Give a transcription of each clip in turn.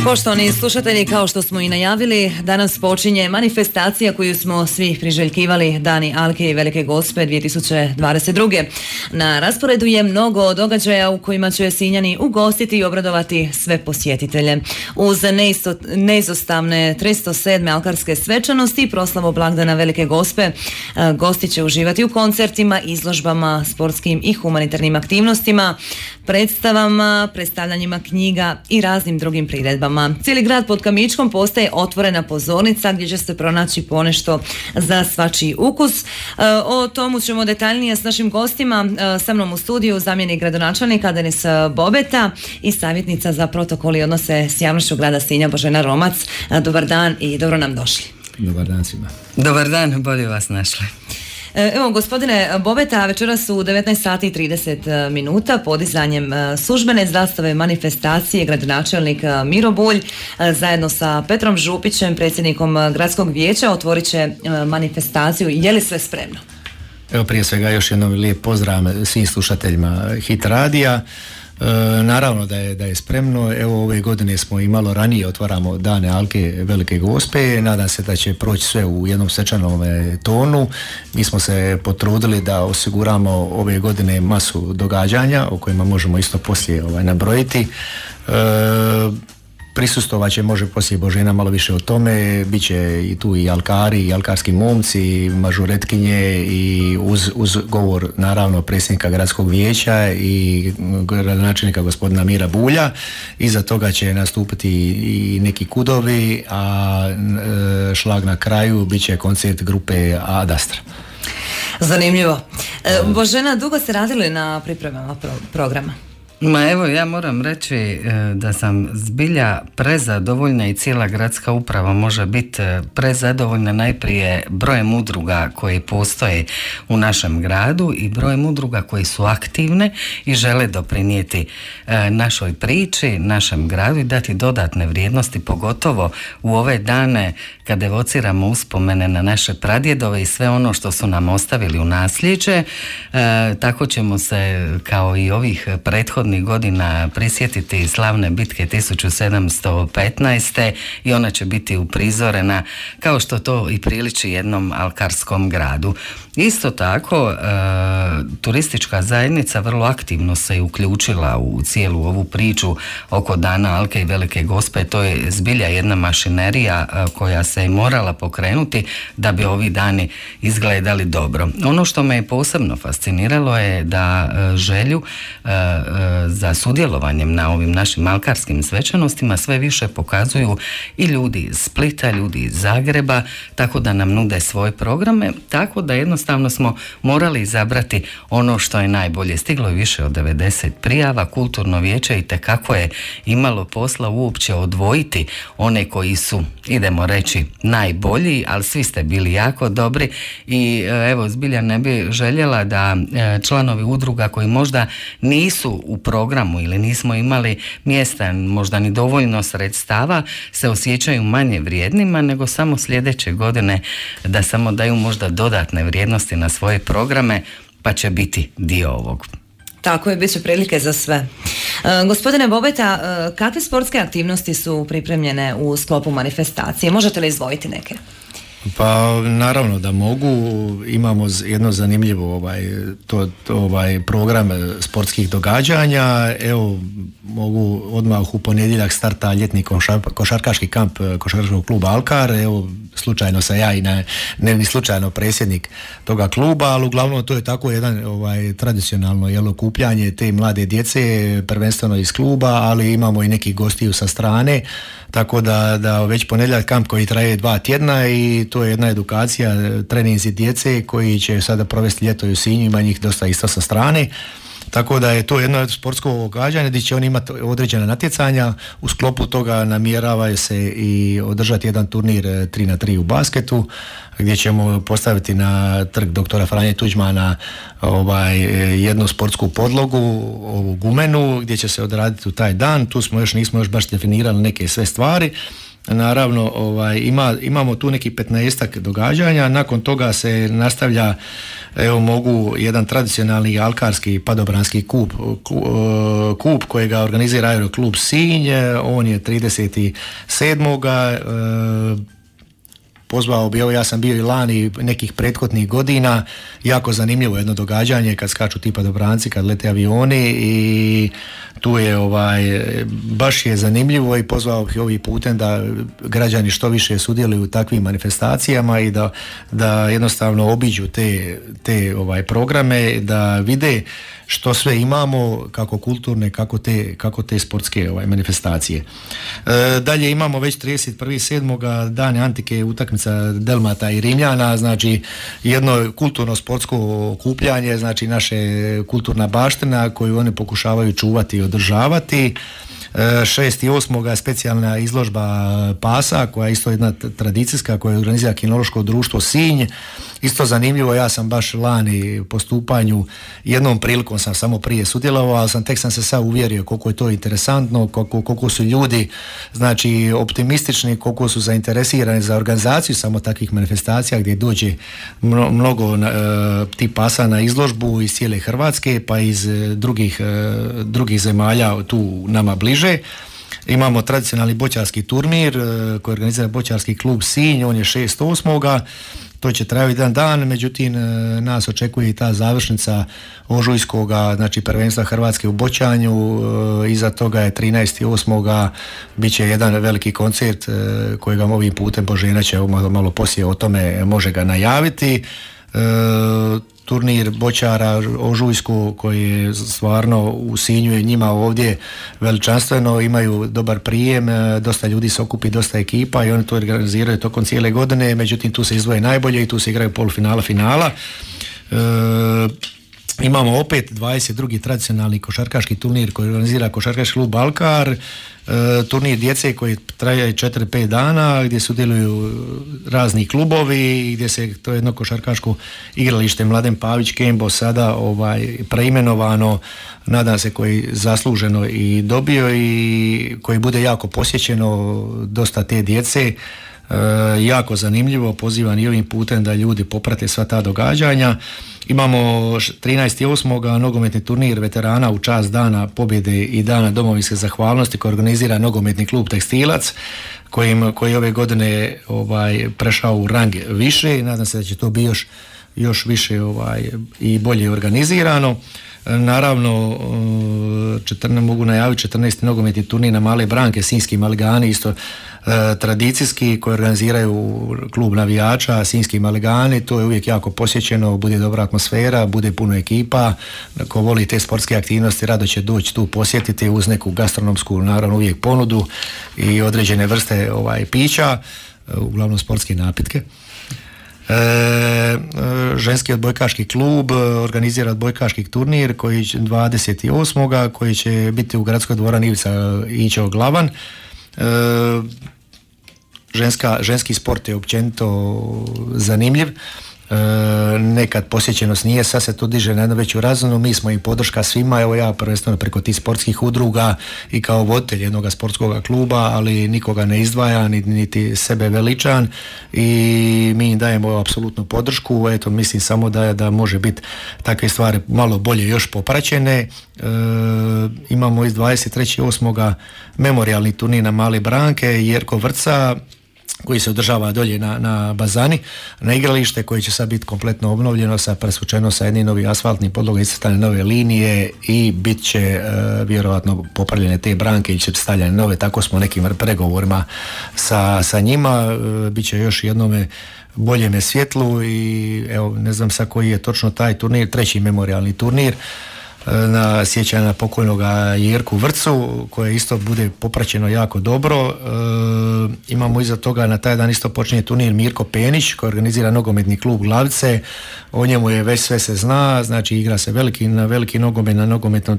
Poštovani slušatelji, kao što smo i najavili, danas počinje manifestacija koju smo svi priželjkivali, Dani Alke i Velike Gospe 2022. Na rasporedu je mnogo događaja u kojima će Sinjani ugostiti i obradovati sve posjetitelje. Uz neizostavne 307. alkarske svečanosti i proslavu blagdana Velike Gospe, gosti će uživati u koncertima, izložbama, sportskim i humanitarnim aktivnostima, predstavama, predstavljanjima knjiga i raznim drugim priredbama. Cijeli grad pod Kamičkom postaje otvorena pozornica gdje će se pronaći ponešto za svačiji ukus. O tomu ćemo detaljnije s našim gostima. Sa mnom u studiju zamjenik gradonačelnika Denis Bobeta i savjetnica za protokol i odnose s javnošću grada Sinja Božena Romac. Dobar dan i dobro nam došli. Dobar dan svima. Dobar dan, bolje vas našli. Evo, gospodine Bobeta, večeras u 19:30 podizanjem službene zastave manifestacije gradonačelnik Miro Bulj zajedno sa Petrom Župićem, predsjednikom gradskog vijeća, otvorit će manifestaciju. Je li sve spremno? Evo, prije svega još jednom lijep pozdrav svim slušateljima Hit radija. Naravno da je spremno. Evo, ove godine smo i malo ranije otvaramo Dane Alke Velike Gospe. Nadam se da će proći sve u jednom svečanom tonu. Mi smo se potrudili da osiguramo ove godine masu događanja o kojima možemo isto poslije nabrojiti. Prisustvovat će, može poslije Božena malo više o tome, bit će i tu i alkari, i alkarski momci, mažuretkinje i uz govor naravno predsjednika gradskog vijeća i gradonačelnika gospodina Mira Bulja. Iza toga će nastupiti i neki kudovi, a šlag na kraju bit će koncert grupe Ad Astra. Zanimljivo. Božena, dugo ste radili na pripremama programa? Ma evo, ja moram reći da sam zbilja prezadovoljna i cijela gradska uprava može biti prezadovoljna najprije brojem udruga koji postoje u našem gradu i brojem udruga koji su aktivne i žele doprinijeti našoj priči, našem gradu i dati dodatne vrijednosti, pogotovo u ove dane kad evociramo uspomene na naše pradjedove i sve ono što su nam ostavili u nasljeđe. Tako ćemo se kao i ovih prethodnih godina prisjetiti slavne bitke 1715. i ona će biti uprizorena kao što to i priliči jednom alkarskom gradu. Isto tako, turistička zajednica vrlo aktivno se uključila u cijelu ovu priču oko Dana Alke i Velike Gospe. To je zbilja jedna mašinerija koja se je morala pokrenuti da bi ovi dani izgledali dobro. Ono što me je posebno fasciniralo je da želju za sudjelovanjem na ovim našim alkarskim svečanostima sve više pokazuju i ljudi iz Splita, ljudi iz Zagreba, tako da nam nude svoje programe, tako da jednostavno smo morali izabrati ono što je najbolje. Stiglo je više od 90 prijava, kulturno vijeće itekako je imalo posla uopće odvojiti one koji su, idemo reći, najbolji, ali svi ste bili jako dobri i evo, zbilja ne bi željela da članovi udruga koji možda nisu u programu ili nismo imali mjesta, možda ni dovoljno sredstava, se osjećaju manje vrijednima, nego samo sljedeće godine da samo daju možda dodatne vrijednosti na svoje programe, pa će biti dio ovog. Tako je, bit će prilike za sve. Gospodine Bobeta, kakve sportske aktivnosti su pripremljene u sklopu manifestacije? Možete li izdvojiti neke? Pa naravno da mogu. Imamo jedno zanimljivo program sportskih događanja. Evo, mogu odmah u ponedjeljak starta ljetni košarkaški kamp košarkaškog kluba Alkar. Evo, slučajno sam ja i ne slučajno predsjednik toga kluba, ali uglavnom to je tako jedan tradicionalno okupljanje te mlade djece, prvenstveno iz kluba, ali imamo i nekih gostiju sa strane, tako da već ponedjeljak kamp koji traje 2 tjedna i to je jedna edukacija, treninzi djece koji će sada provesti ljeto u Sinju, ima njih dosta isto sa strane. Tako da je to jedno sportsko događanje gdje će oni imati određena natjecanja. U sklopu toga namjerava se i održati jedan turnir 3x3 u basketu, gdje ćemo postaviti na trg doktora Franje Tuđmana jednu sportsku podlogu, ovu gumenu, gdje će se odraditi u taj dan. Tu nismo još baš definirali neke sve stvari. naravno imamo tu neki 15-ak događanja, nakon toga se nastavlja mogu jedan tradicionalni alkarski padobranski kup kojega organizira Aeroklub Sinj, on je 37. Pozvao bi, ja sam bio i lani nekih prethodnih godina, jako zanimljivo jedno događanje kad skaču ti padobranci, kad lete avioni i tu je baš je zanimljivo i pozvao bih ovim putem da građani što više sudjeluju u takvim manifestacijama i da jednostavno obiđu te programe, da vide što sve imamo, kako kulturne, kako te sportske manifestacije. Dalje imamo već 31.7. Dan antike, utakmica Delmata i Rimljana, znači jedno kulturno sportsko okupljanje, znači naše kulturna baština koju oni pokušavaju čuvati i održavati. 6.8. specijalna izložba pasa koja je isto jedna tradicijska, koja organizira Kinološko društvo Sinj. Isto zanimljivo, ja sam baš lani po stupanju, jednom prilikom sam samo prije sudjelovao, ali tek sam se sad uvjerio koliko je to interesantno, koliko su ljudi znači optimistični, koliko su zainteresirani za organizaciju samo takvih manifestacija gdje dođe mnogo tih pasa na izložbu iz cijele Hrvatske pa iz drugih zemalja tu nama bliže. Imamo tradicionalni boćarski turnir koji organizira Boćarski klub Sinj, on je 6.8. To će trajati jedan dan, međutim nas očekuje i ta završnica ožujskoga, znači prvenstva Hrvatske u boćanju, iza toga je 13.8. bit će jedan veliki koncert kojega ovim putem Božena će malo poslije o tome može ga najaviti. Turnir boćara Ožujsku koji je stvarno u Sinju i njima ovdje veličanstveno, imaju dobar prijem, dosta ljudi se okupi, dosta ekipa i oni to organiziraju tokom cijele godine, međutim tu se izdvoje najbolje i tu se igraju polufinala, finala. Imamo opet 22. tradicionalni košarkaški turnir koji organizira Košarkaški klub Alkar, turnir djece koji traje 4-5 dana gdje sudjeluju razni klubovi, gdje se to jedno košarkaško igralište Mladen Pavić Kembo sada preimenovano, nadam se koji zasluženo i dobio i koji bude jako posjećeno, dosta te djece. Jako zanimljivo, pozivam i ovim putem da ljudi poprate sva ta događanja. Imamo 13.8. nogometni turnir veterana u čast Dana pobjede i Dana domovinske zahvalnosti koji organizira nogometni klub Tekstilac koji ove godine prešao u rang više i nadam se da će to biti još više i bolje organizirano. Naravno, mogu najaviti 14. nogometni turnir na Male Branke, Sinjski Maligani, isto tradicijski, koji organiziraju klub navijača, Sinjski Maligani, to je uvijek jako posjećeno, bude dobra atmosfera, bude puno ekipa, ko voli te sportske aktivnosti rado će doći tu posjetiti uz neku gastronomsku, naravno uvijek ponudu i određene vrste pića, uglavnom sportske napitke. Ženski odbojkaški klub organizira odbojkaški turnir koji 28. koji će biti u gradskoj dvorani Ivica Ićo Glavan. Ženski sport je općenito zanimljiv, nekad posjećenost nije, sad se to diže na jednu veću razinu, mi smo i podrška svima, evo ja prvenstveno preko tih sportskih udruga i kao voditelj jednog sportskog kluba, ali nikoga ne izdvaja, niti sebe veličan i mi im dajemo apsolutnu podršku, eto mislim samo da može biti takve stvari malo bolje još popraćene. Imamo iz 23.8. memorijalni turnir na Male Branke, Jerko Vrca, koji se održava dolje na Bazani, na igralište koje će sad biti kompletno obnovljeno, presvučeno sa jednim novim asfaltnim podlogom, iscrtane nove linije i bit će vjerojatno popravljene te branke i će stavljene nove, tako smo nekim pregovorima sa njima, bit će još jednome boljeme svjetlu i evo ne znam sad koji je točno taj turnir, 3. memorijalni turnir na sjećanje na pokojnog Jerku Vrcu koje isto bude popraćeno jako dobro. Imamo iza toga na taj dan isto počinje turnir Mirko Penić koji organizira nogometni klub Glavice, o njemu je već sve se zna, znači igra se veliki nogomet na nogometnom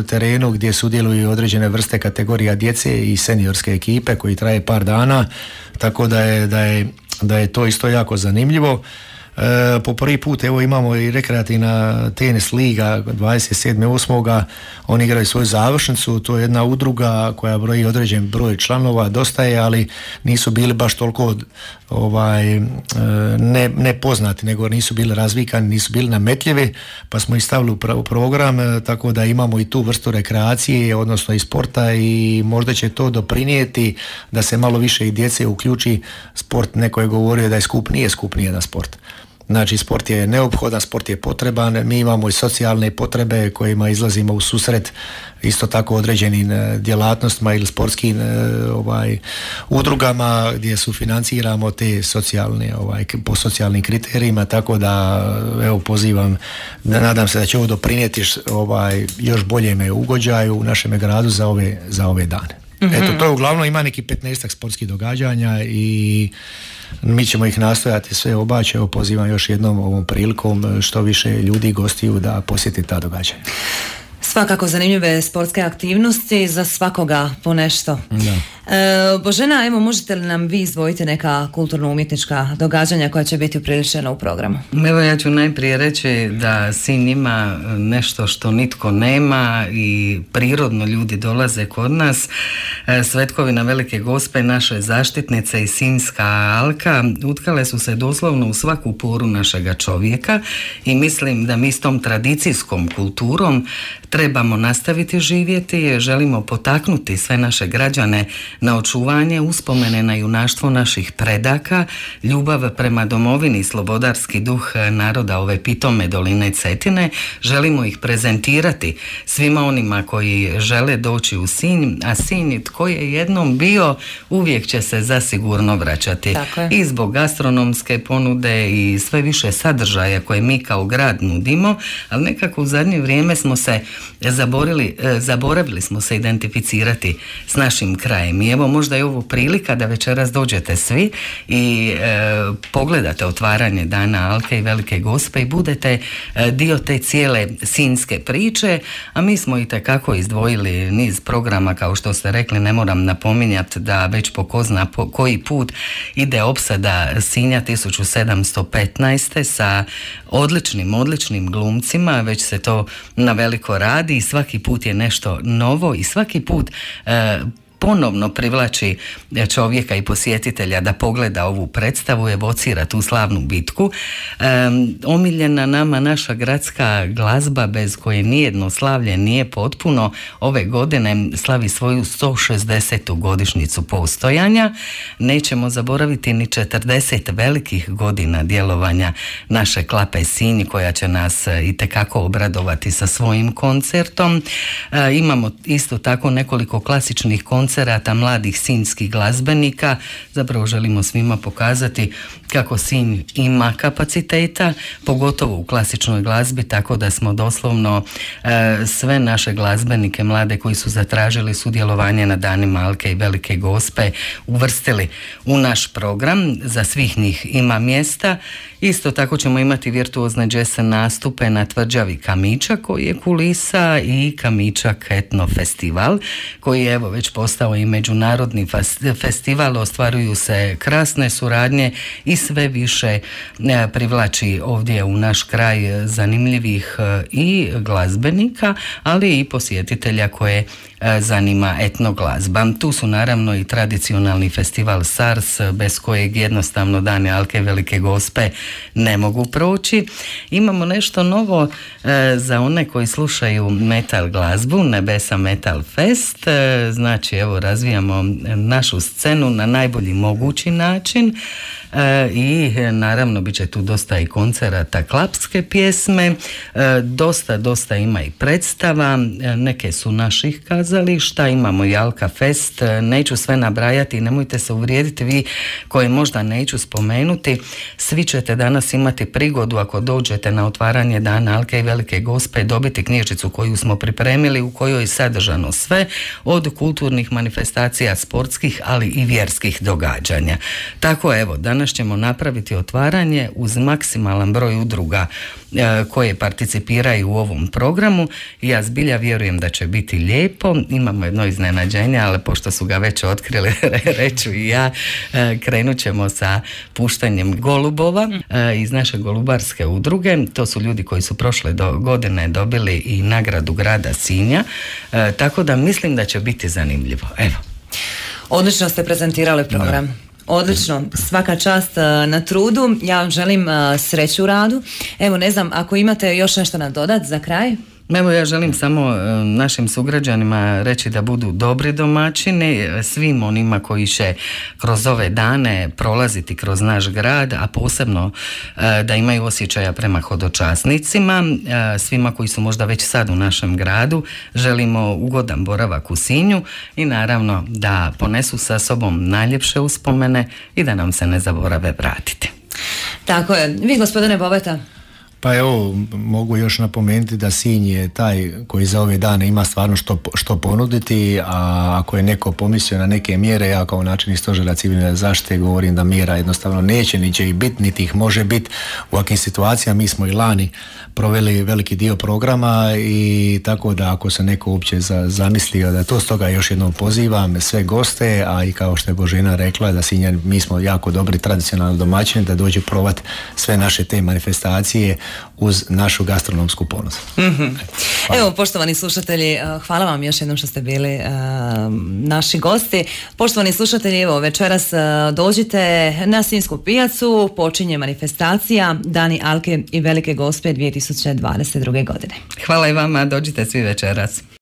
terenu gdje sudjeluju određene vrste kategorija djece i seniorske ekipe koji traje par dana, tako da je to isto jako zanimljivo. Po prvi put evo imamo i rekreativna tenis liga 27.8. Oni igraju svoju završnicu, to je jedna udruga koja broji određen broj članova, dosta je, ali nisu bili baš toliko ne poznati, nego nisu bili razvikani, nisu bili nametljivi, pa smo ih stavili u program, tako da imamo i tu vrstu rekreacije, odnosno i sporta, i možda će to doprinijeti da se malo više i djece uključi sport. Neko je govorio da je skup, nije skup nijedan sport. Znači, sport je neophodan, sport je potreban, mi imamo i socijalne potrebe kojima izlazimo u susret isto tako određenim djelatnostima ili sportskim udrugama gdje sufinanciramo te socijalne, po socijalnim kriterijima, tako da evo pozivam, nadam se da će ovo doprinijeti još boljem ugođaju u našem gradu za ove dane. Eto, to je uglavnom, ima neki 15 sportskih događanja i mi ćemo ih nastojati sve obaći. Evo, pozivam još jednom ovom prilikom što više ljudi, gostiju da posjeti ta događanja. Svakako zanimljive sportske aktivnosti, za svakoga po nešto. Božena, evo, možete li nam vi izdvojiti neka kulturno-umjetnička događanja koja će biti upriličena u programu? Evo, ja ću najprije reći da Sinj ima nešto što nitko nema i prirodno ljudi dolaze kod nas. Svetkovina Velike Gospe, naše zaštitnice i Sinjska alka utkale su se doslovno u svaku poru našega čovjeka i mislim da mi s tom tradicijskom kulturom trebamo nastaviti živjeti, želimo potaknuti sve naše građane na očuvanje uspomene na junaštvo naših predaka, ljubav prema domovini, slobodarski duh naroda ove pitome doline Cetine. Želimo ih prezentirati svima onima koji žele doći u Sinj, a Sinj tko je jednom bio uvijek će se zasigurno vraćati. I zbog gastronomske ponude i sve više sadržaja koje mi kao grad nudimo, ali nekako u zadnje vrijeme smo se zaboravili smo se identificirati s našim krajem. I evo, možda je ovo prilika da večeras dođete svi i pogledate otvaranje Dana Alke i Velike Gospe i budete dio te cijele sinjske priče, a mi smo itekako izdvojili niz programa, kao što ste rekli, ne moram napominjati da već po ko zna koji put ide opsada Sinja 1715. sa odličnim glumcima, već se to na veliko radi i svaki put je nešto novo i svaki put ponovno privlači čovjeka i posjetitelja da pogleda ovu predstavu, evocira tu slavnu bitku. Omiljena nama naša gradska glazba bez koje nijedno slavlje nije potpuno, ove godine slavi svoju 160. godišnjicu postojanja. Nećemo zaboraviti ni 40 velikih godina djelovanja naše Klape Sinj, koja će nas itekako obradovati sa svojim koncertom. Imamo isto tako nekoliko klasičnih koncerata mladih sinjskih glazbenika. Zapravo želimo svima pokazati kako Sinj ima kapaciteta, pogotovo u klasičnoj glazbi, tako da smo doslovno sve naše glazbenike mlade koji su zatražili sudjelovanje na Danima Alke i Velike Gospe uvrstili u naš program. Za svih njih ima mjesta. Isto tako ćemo imati virtuozne jazz nastupe na tvrđavi Kamičak, koji je kulisa, i Kamičak etno festival, koji je evo već postao i međunarodni festival. Ostvaruju se krasne suradnje i sve više privlači ovdje u naš kraj zanimljivih i glazbenika, ali i posjetitelja koje zanima etnoglazba. Tu su naravno i tradicionalni festival SARS, bez kojeg jednostavno Dane Alke Velike Gospe ne mogu proći. Imamo nešto novo za one koji slušaju metal glazbu, Nebesa Metal Fest. Znači, evo, razvijamo našu scenu na najbolji mogući način. I naravno bit će tu dosta i koncerata klapske pjesme, dosta ima i predstava, neke su naših kazališta, imamo i Alka Fest, neću sve nabrajati, nemojte se uvrijediti vi koje možda neću spomenuti, svi ćete danas imati prigodu, ako dođete na otvaranje Dana Alke i Velike Gospe, dobiti knjižicu koju smo pripremili, u kojoj je sadržano sve od kulturnih manifestacija, sportskih, ali i vjerskih događanja. Tako evo, danas danas ćemo napraviti otvaranje uz maksimalan broj udruga koje participiraju u ovom programu i ja zbilja vjerujem da će biti lijepo. Imamo jedno iznenađenje, ali pošto su ga već otkrili, reću i ja, krenut ćemo sa puštanjem golubova iz naše golubarske udruge. To su ljudi koji su prošle godine dobili i nagradu grada Sinja, tako da mislim da će biti zanimljivo. Evo. Odlično ste prezentirali program. Da. Odlično, svaka čast na trudu. Ja vam želim sreću u radu. Evo, ne znam, ako imate još nešto nadodati za kraj? Evo, ja želim samo našim sugrađanima reći da budu dobri domaćini, svim onima koji će kroz ove dane prolaziti kroz naš grad, a posebno da imaju osjećaja prema hodočasnicima, svima koji su možda već sad u našem gradu, želimo ugodan boravak u Sinju i naravno da ponesu sa sobom najljepše uspomene i da nam se ne zaborave vratiti. Tako je. Vi, gospodine Bobeta? Pa evo, mogu još napomenuti da Sinj je taj koji za ove dane ima stvarno što ponuditi, a ako je neko pomislio na neke mjere, ja kao načelnik stožera civilne zaštite govorim da mjera jednostavno neće, ni će ih biti, niti ih može biti u ovakvim situacijama. Mi smo i lani proveli veliki dio programa i tako da ako se neko uopće zamislio da to, stoga još jednom pozivam sve goste, a i kao što je Božena rekla da Sinjani, mi smo jako dobri tradicionalni domaćini, da dođu provat sve naše te manifestacije uz našu gastronomsku ponudu. Mm-hmm. Evo, poštovani slušatelji, hvala vam još jednom što ste bili naši gosti. Poštovani slušatelji, evo, večeras dođite na Sinjsku pijacu, počinje manifestacija Dani Alke i Velike Gospe 2022. godine. Hvala i vama, dođite svi večeras.